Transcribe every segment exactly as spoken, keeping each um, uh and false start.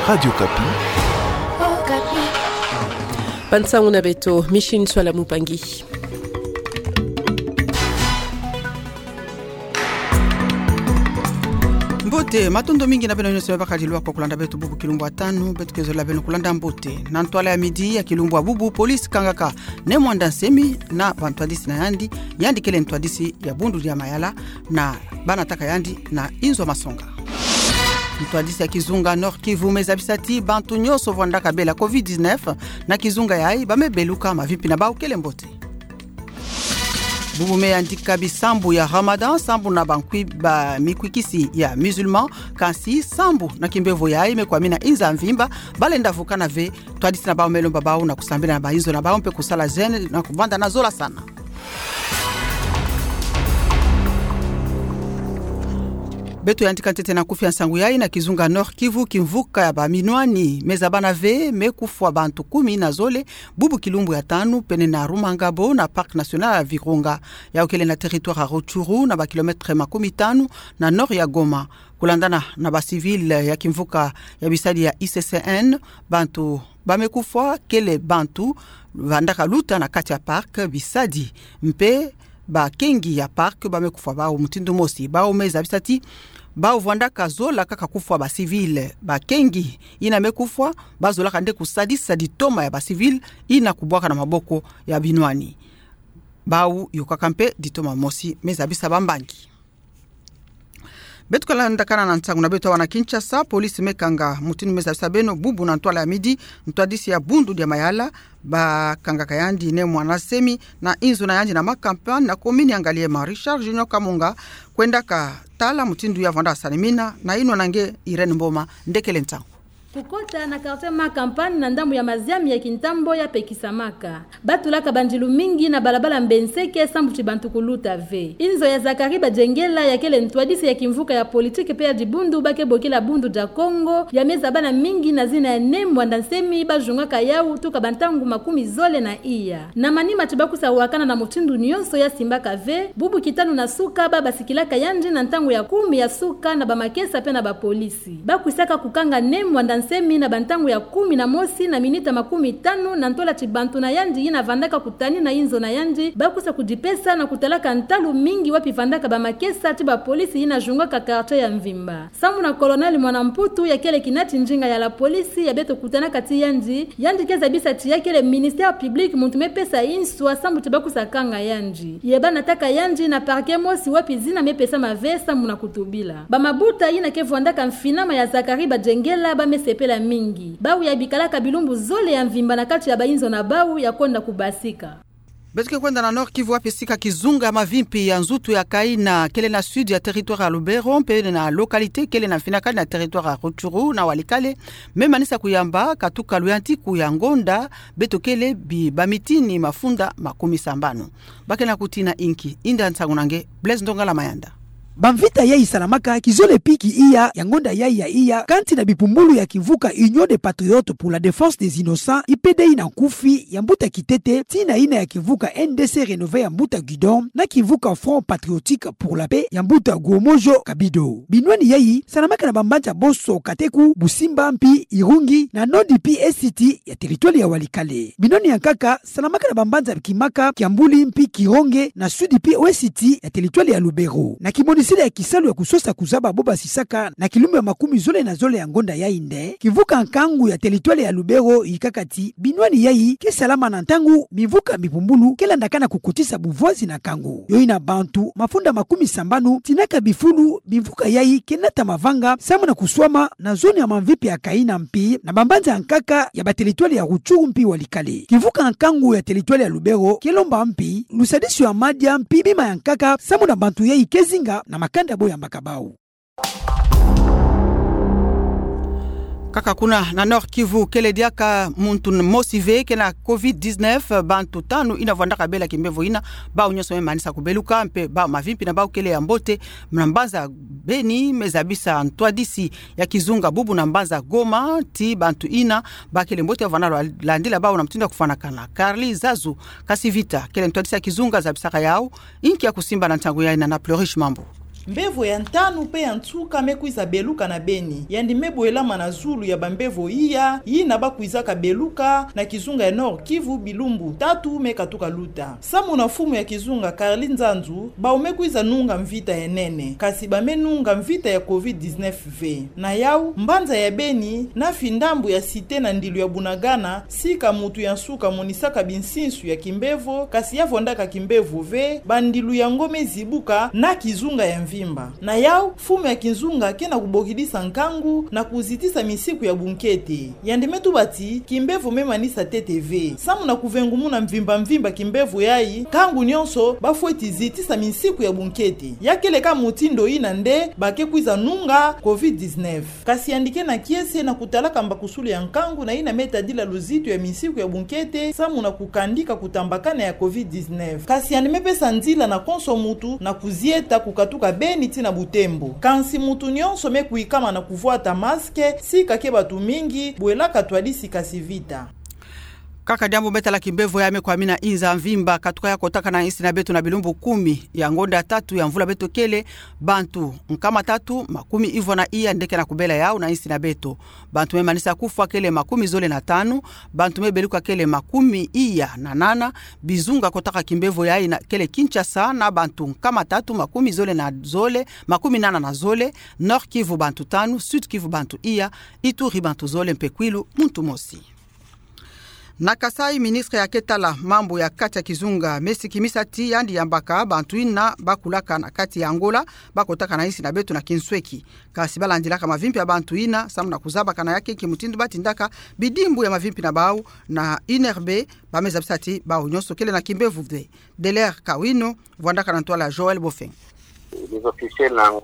Radio Okapi. Okapi. Bansangu na beto, Micheline Nswala Mupangi. Mbote, matondo mingi na beno nyonso me bakadi lwa kwa kulanda beto bubu kilumbu ya tanu, beto ke zola beno kulanda mbote. Na ntwala ya midi ya kilumbu ya bubu, police kangaka Ne Muanda Nsemi na bantwadisi na yandi, yandi kele ntwadisi ya Bundu dia Mayala, na bana tâka yandi na inzo ya masonga. Ntwadisi ya kizunga Nord-Kivu me zabisa ti bantu nyonso vwandaka bela covid dix-neuf na kizunga yayi, ba me beluka, mavimpi na bawu kele mbote. Bubu me yandika bisambu ya Ramadan, sambu na bankwi-, bamikwikisi ya musulman, kansi sambu na kimbevo yayi me kwamina inza mvimba, ba lenda vukana ve, ntwadisi na bawu me lomba bawu na kusambila na bainzo na bawu mpe kusala jeûne na kuvanda na zola sana. Beto yandika ntete na nkufi ya nsangu yayi na kizunga Nord-Kivu, kimvuka ya baminwani me zabana ve me kufwa bantu kumi na zole, bubu kilumbu ya tanu, pene na Rumangabo, na Parc National ya Virunga, yawu kele na territoire ya Rutshuru, na ba kilomètre makumi tanu na nord ya Goma. Kulandana na ba civil ya kimvuka ya bisadi ya I C C N, bantu ba me kufwa kele bantu vandaka luta na kati ya parc, bisadi mpe bakengi ya parc ba me kufwa bawu mutindu mosi. Bawu me zabisa ti bawu vwandaka zola kaka kufwa ba civil. Bakengi yina me kufwa, ba zolaka nde kusadisa ditoma ya ba civil yina kubwaka na maboko ya binwani. Bawu yokaka mpe ditoma mosi, me zabisa bambangi. Beto ke landakana na nsangu na beto awa na Kinshasa, police me kanga, mutindu me zabisa beno bubu na ntwala ya midi, ntwadisi ya Bundu dia Mayala, ba kangaka yandi Ne Muanda Nsemi na inzo na yandi na Makampane na commune ya Ngaliema. Richard Junior Kamunga kwendaka tala mutindu ya vwanda salimina na inwa na nge Irène Mboma, nde kele nsangu. Kukota na quartier Makampane na ndambu ya maziami ya kintambo ya pekisamaka. Ba tulaka bandilu mingi na balabala Mbenseke sambu ti bantu kuluta ve. Inzo ya Zacharie Badjengela, ya kele ntwadisi ya kimvuka ya politique mpe ya dibundu ba ke bokila Bundu dia Kongo, ya me zabana mingi na zina ya Ne Muanda Nsemi, ba jungaka yawu tuka bantangu makumi zole na iya. Na manima ti ba kwiza wakana na mutindu nyonso ya simbaka ve, bubu kitanu na suka ba basikilaka yandi na ntangu ya kumi ya suka na bamakesa mpe na bapolisi. Ba kwisaka kukanga Ne Muanda Nsemi na bantangu ya kumi na mosi na minita makumi tanu na ntwala ti bantu na yandi yina vandaka kutani na inzo na yandi, ba kwiza kudipesa na kutalaka ntalu mingi wapi vandaka bamakesa ti bapolisi yina jungaka quartier ya mvimba. Sambu na Colonel Mwana Mputu, ya kele kina ti ndinga ya la police ya beto kutanaka ti yandi, yandi ke zabisa ti ya kele ministère public muntu me pesa inswa sambu ti ba kwiza kanga yandi. Ye ba nataka yandi na parquet mosi wapi zina me pesama ve sambu na kutubila. Bamabuta yina ke vwandaka mfinama ya Zacharie Badjengela ba me sepela mingi. Bawu ya bikalaka bilumbu zole ya mvimba na kati ya bainzo na bawu ya kwenda kubasika. Beto ke kwenda na Nord-Kivu wapi sika kizunga mavimpi ya nzutu ya Kaina, kele na sud ya territoire ya Lubero, mpe na localité kele na mfinakani na territoire ya Rutshuru na Walikale, me manisa kuyamba katuka luyantiku ya ngonda, beto kele bi bamitini mafunda makumi sambanu. Ba ke na kutina inki, inda nsangu na nge Blaise Ndongala Mayanda. Bamvita yayi salamaka kizole pi ki iya ya ngonda yayi ya iya, kanti na bipumbulu ya kimvuka Union des Patriotes pour la Défense des Innocents, I P D I na nkufi, ya mbuta Kitete, tii na yina ya kimvuka N D C Renové ya mbuta Gidon, na kimvuka Front Patriotique pour la Paix ya mbuta Guomojo Kabido. Binwani yayi salamaka na bambanza bonso Kateku, Busimba mpi Irungi, na Nord mpi Est ya territoire ya Walikale. Binwani ya nkaka salamaka na bambanza Kimaka, Kiambuli mpi Kironge, na Sud mpi Ouest ya territoire ya Lubero. Na kimoniseli ya kisalu ya kusosa kuzaba bo basisaka na kilumbu ya makumi zole na zole ya ngonda yayi nde, kimvuka nkangu ya territoire ya Lubero yikaka ti binwani yayi ke salama na ntangu bimvuka bipumbulu ke landakana kukotisa buvwazi na nkangu. Yo yina bantu mafunda makumi sambanu tinaka bifulu bimvuka yayi ke nata mavanga samu na kuswama na zone ya mamvipi ya Kaina mpi na bambanza ya nkaka ya ba territoire ya Rutshuru mpi Walikale. Kimvuka nkangu ya territoire ya Lubero ke lomba mpi lusadisi ya madia mpi bima ya nkaka samu na bantu yayi ke zinga na makanda bo yambaka bau. Kaka kuna na Nord-Kivu, kele diaka muntu mosi ve ke na covid dix-neuf, bantu tanu yina vwandaka bela kimbevo yina, bau nyonso me manisa kubeluka, mpe bau mavimpi na bau kele ya mbote. Na mbanza Beni me zabisa ntwadisi ya kizunga bubu na mbanza Goma ti bantu yina ba kele mbote ya vwanda landila bau na mutindu ya kufwanakana. Carly Zazu Kasivita, kele ntwadisi ya kizunga, zabisaka yau inki ya kusimba na ntangu yayina na Plurish Mambu. Mbevo ya ntanu pe ya nsuka me kwiza beluka na beni. Yandi me bwelama na zulu ya bambevo iya, yina ba kwizaka beluka na kizunga ya Nord-Kivu bilumbu tatu me katuka luta. Samu na mfumu ya kizunga Carly Nzanzu, bau me kwiza nunga mvita ya nene, kasi ba me nunga mvita ya covid dix-neuf ve. Na yau, mbanza ya Beni, na findambu ya Cité na ndilu ya Bunagana, sika mutu ya nsuka monisaka binsinsu ya kimbevo, kasi ya vwandaka kimbevo ve, bandilu yango me zibuka na kizunga ya mvimba. Na yau, mfumu ya kizunga ke na kubokidisa nkangu na kuzitisa misiku ya bunkete. Yandi me tuba ti, kimbevo me manisa ntete ve. Samu na kuvengumuna mvimba mvimba kimbevo yayi, nkangu nyonso, ba fweti zitisa misiku ya bunkete. Ya kele kaka mutindu yina nde, ba ke kwiza nunga covid dix-neuf. Kasi yandi ke na kiese na kutalaka mbakusulu ya nkangu na yina me tadila luzitu ya misiku ya bunkete, samu na kukandika kutambakana ya covid dix-neuf. Kasi yandi me pesa nzila na konso mutu na kuzieta kukatuka beni tii na Butembo. Kansi mutu nyonso me kwikama na kuvwata masque, sika ke batu mingi, bwelaka twadisi kasi vita. Kaka diambu me tala kimbevo ya me kwamina inza mvimba, katuka ya kotaka na insi na beto na bilumbu kumi ya ngonda tatu ya mvula beto kele, bantu nkama tatu, makumi ivwa na iya nde ke na kubela yau na insi na beto. Bantu me manisa kufwa kele makumi zole na tanu, bantu me beluka kele makumi iya na nana, bizunga kotaka kimbevo yayi na kele Kinshasa na bantu nkama tatu, makumi zole na zole, makumi nana na zole, Nord-Kivu bantu tanu, Sud-Kivu bantu iya, Ituri bantu zole mpe kwilu muntu mosi. Na Kasaï, ministre ya ke tala mambu ya kati ya kizunga me sikimisa ti yandi yambaka bantu yina ba kulaka na kati ya Angola, ba kotaka na insi na beto na kinsweki. Kasi ba landilaka mavimpi ya bantu yina, samu na kuzabaka na ya nki mutindu ba tindaka bidimbu ya mavimpi na bau na I N R B, ba me zabisa ti bau nyonso kele na kimbevo ve. Deller Kawino, vwandaka na ntwala Joël Bofeng.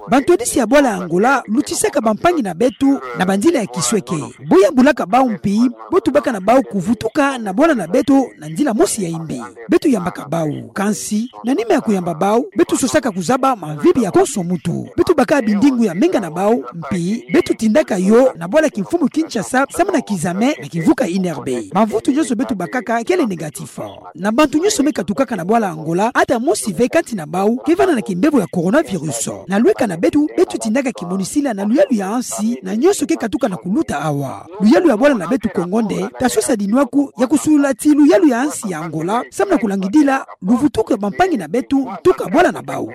Bantwadisi ya bwala Angola lutisaka bampangi na beto na banzila ya kisweki. Bo yambulaka bau mpi, bo tubaka na bau kuvutuka na bwala na beto na nzila mosi ya imbi. Beto yambaka bau. Kansi, na nima ya kuyamba bau, beto sosaka kuzaba mavimpi ya konso muntu. Beto baka bindingu ya menga na bau, mpi beto tindaka yo na bwala kimfumu Kinshasa, samu na kizame na kivuka I N R B. Mavutu nyonso beto bakaka kele négatif. Na bantu nyonso me katukaka na bwala Angola, ata mosi ve kati na bau ke vanda na kimbevo ya coronavirus. Na lweka na beto, beto tindaka kimonisila na luyalu ya nsi na nyonso ke katuka na kuluta awa. Luyalu ya bwala na beto Kongo nde, ta sosa dinwaku ya kusulula ti luyalu ya nsi ya Angola, samu na kulangidila luvutuku ya bampangi na beto ntuka bwala na bau.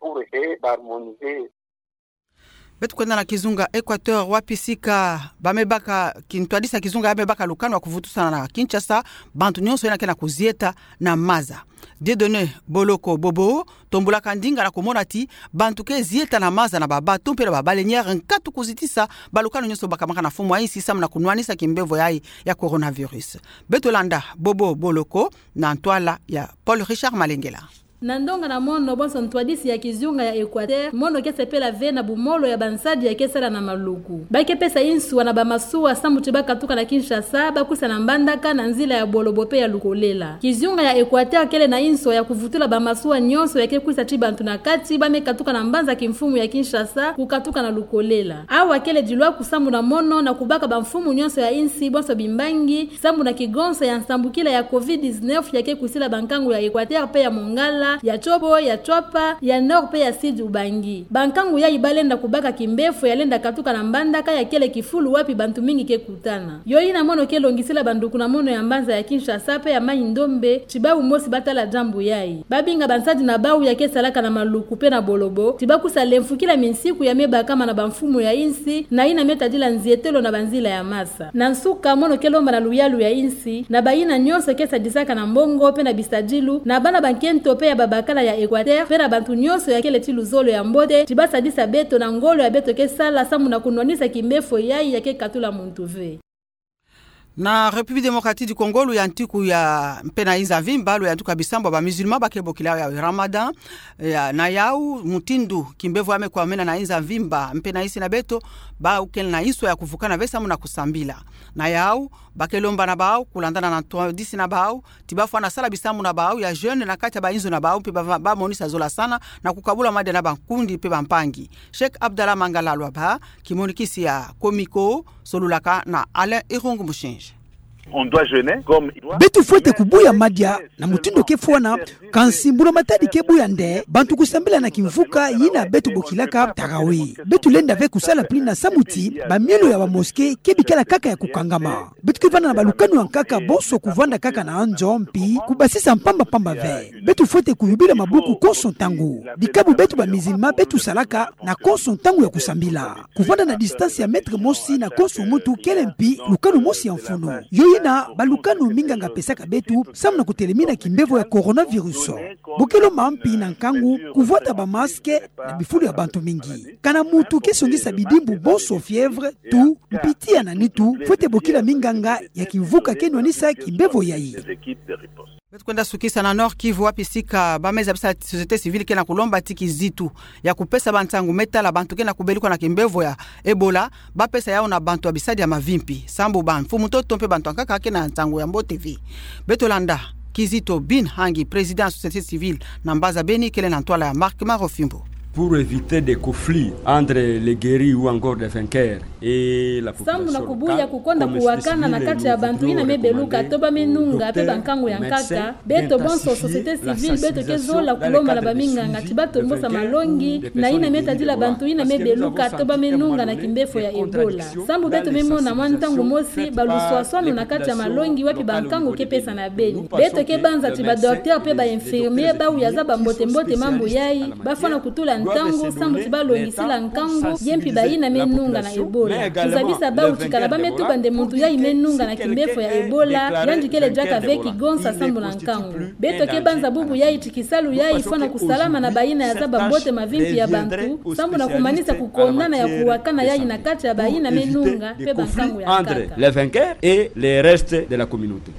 Beto kwenda na kizunga Équateur, wapi sika ba me baka kintwadisi ya kizunga ya me baka lukanu ya kuvutusana na Kinshasa, bantu nyonso yina ke na kuzieta na maza. Dieudonné Boloko Bobo tombulaka ndinga na kumona ti bantu ke zieta na maza na ba bateau mpe na ba baleinière nkatu kuzitisa balukanu nyonso bakamaka na mfumu ya insi samu na kunwanisa kimbevo yayi ya coronavirus. Beto landa Bobo Boloko na ntwala ya Paul Richard Malengela. Na ndonga na mono, bonso ntwadisi ya kizunga ya Équateur, mono ke sepela ve na bumolo ya bansadi ya ke sala na maluku. Ba ke pesa inswa na bamasuwa samu ti ba katuka na Kinshasa, ba kwisa na mbandaka na nzila ya bolobo mpe ya lukolela. Kizunga ya Équateur kele na inswa ya kuvutula bamasuwa nyonso ya ke kwisa ti bantu na kati, ba me katuka na mbanza kimfumu ya Kinshasa, kukatuka na lukolela. Awa kele dilwaku samu na mono na kubaka bamfumu nyonso ya insi, bonso bimbangi, samu na kigonso ya nsambukila ya covid dix-neuf ya ke kwisila bankangu ya Équateur mpe ya Mongala, ya Tshopo, ya Tshuapa, ya Nord mpe ya Sud ubangi. Bankangu yayi ba lenda kubaka kimbefo ya lenda katuka na mbandaka ya kele kifulu wapi bantu mingi ke kutana. Yo yina mono ke longisila banduku na mono ya mbanza ya Kinshasa mpe ya Mai-Ndombe, ti bau mosi ba tala diambu yayi. Ba binga bansadi na bau ya ke salaka na maluku mpe na bolobo, ti ba kwisa lemfukila minsiku ya me bakama na bamfumu ya insi, na yina me tadila nzietelo na banzila ya masa. Na nsuka, mono ke lomba na luyalu ya insi, na bayina nyonso ke sadisaka na mbongo mpe na bisadilu, na bana bankento mpe ya babakala ya Équateur, mpe na bantu nyonso ya kele ti luzolo ya mbote, ti ba sadisa beto na ngolo ya beto ke sala samu na kunwanisa kimbefo yayi ya ke katula muntu ve. Na République Démocratique du Congo, luyantiku ya mpe na inza mvimba, luyantiku ya bisambwa ba musulman ba ke bokila ya Ramadan, ya, na yau, mutindu kimbevo ya me kwamena na inza mvimba, mpe na insi na beto, bau ke na inswa ya kuvukana ve samu na kusambila. Na yau, ba ke lomba na bau, kulandana na ntwadisi na bau, ti ba fwana sala bisambu na bau ya jeûne na kati ya bainzo na bau, mpe ba, ba, ba monisa zola sana, na kukabula madia na bankundi mpe bampangi. Cheikh Abdallah Mangala Luaba, kimonikisi ya Comico, solulaka na Alain Irung Mushinji. Beto fwete kubuya madia na mutindu ke fwana, kansi mbula matadi ke buya nde bantu kusambila na kimvuka yina beto bokilaka tarawih. Beto lenda ve kusala pili na samu ti bamielo ya ba mosquée ke bikala kaka ya kukangama. Beto ke vanda na balukanu ya nkaka bonso kuvanda kaka na anzo mpi kubasisa mpamba mpamba ve. Beto fwete kuyubila mabuku konso ntangu. Dikabu beto ba musulman beto salaka na konso ntangu ya kusambila. Kuvanda na distance ya mètre mosi na konso muntu kele mpi lukanu mosi ya mfunu. Yo yina balukanu minganga pesaka beto samu na kutelemina kimbevo ya coronavirus. Bokilo mampi na nkangu, kuvwata ba masque na bifulu ya bantu mingi. Kana muntu ke songisa bidimbu bonso, fièvre, toux, mpi tiya na nitu, fwete bokila minganga ya kimvuka ke nwanisa kimbevo yayi. Beto kwenda sukisa na Nord-Kivu, wapi sika bameza bisa société civile ke na kulomba ti kizito ya kupesa bansangu me tala bantu ke na kubeluka na kimbevo ya Ebola, bapesa yawu na bantu ya bisadi ya mavimpi, sambu bamfumu ntoto mpe bantu ya nkaka ke na nsangu ya mbote ve. Beto landa kizito, Bin Hangi, président ya société civile na mbanza Beni, kele na ntwala ya Marc Marofimbo. Pour éviter des conflits entre les guéris ou encore des vainqueurs et la population locale, sambu na kubuya kukonda kuwakana na kati ya bantu yina me beluka to ba me nunga mpe bankangu ya nkaka, beto bonso société civile beto ke zola kulomba na baminganga ti batombosa malongi na yina me tadila bantu yina me beluka to ba me nunga na kimbefo ya Ebola. Sambu beto me mona mwa ntangu mosi baluswaswanu na kati ya malongi wapi bankangu ke pesana beni. Beto ke banza ti ba docteur mpe ba infirmier bau ya zaba mbote mbote mambu yayi, bafwana kutula ntangu sambu ti balongisila nkangu, ye mpi bayina me nunga na Ebola. Kuzabisa bau ti kana ba me tuba nde muntu yayi me nunga na kimbefo ya Ebola, yandi kele diaka ve kigonsa sambu na nkangu. Beto ke banza bubu yayi ti kisalu yayi fwana kusalama na bayina ya zaba mbote mavimpi ya bantu, sambu na kumanisa kukondana ya kuwakana yayi na kati ya bayina me nunga mpe bankangu ya nkaka. Les vainqueurs et les restes de la communauté.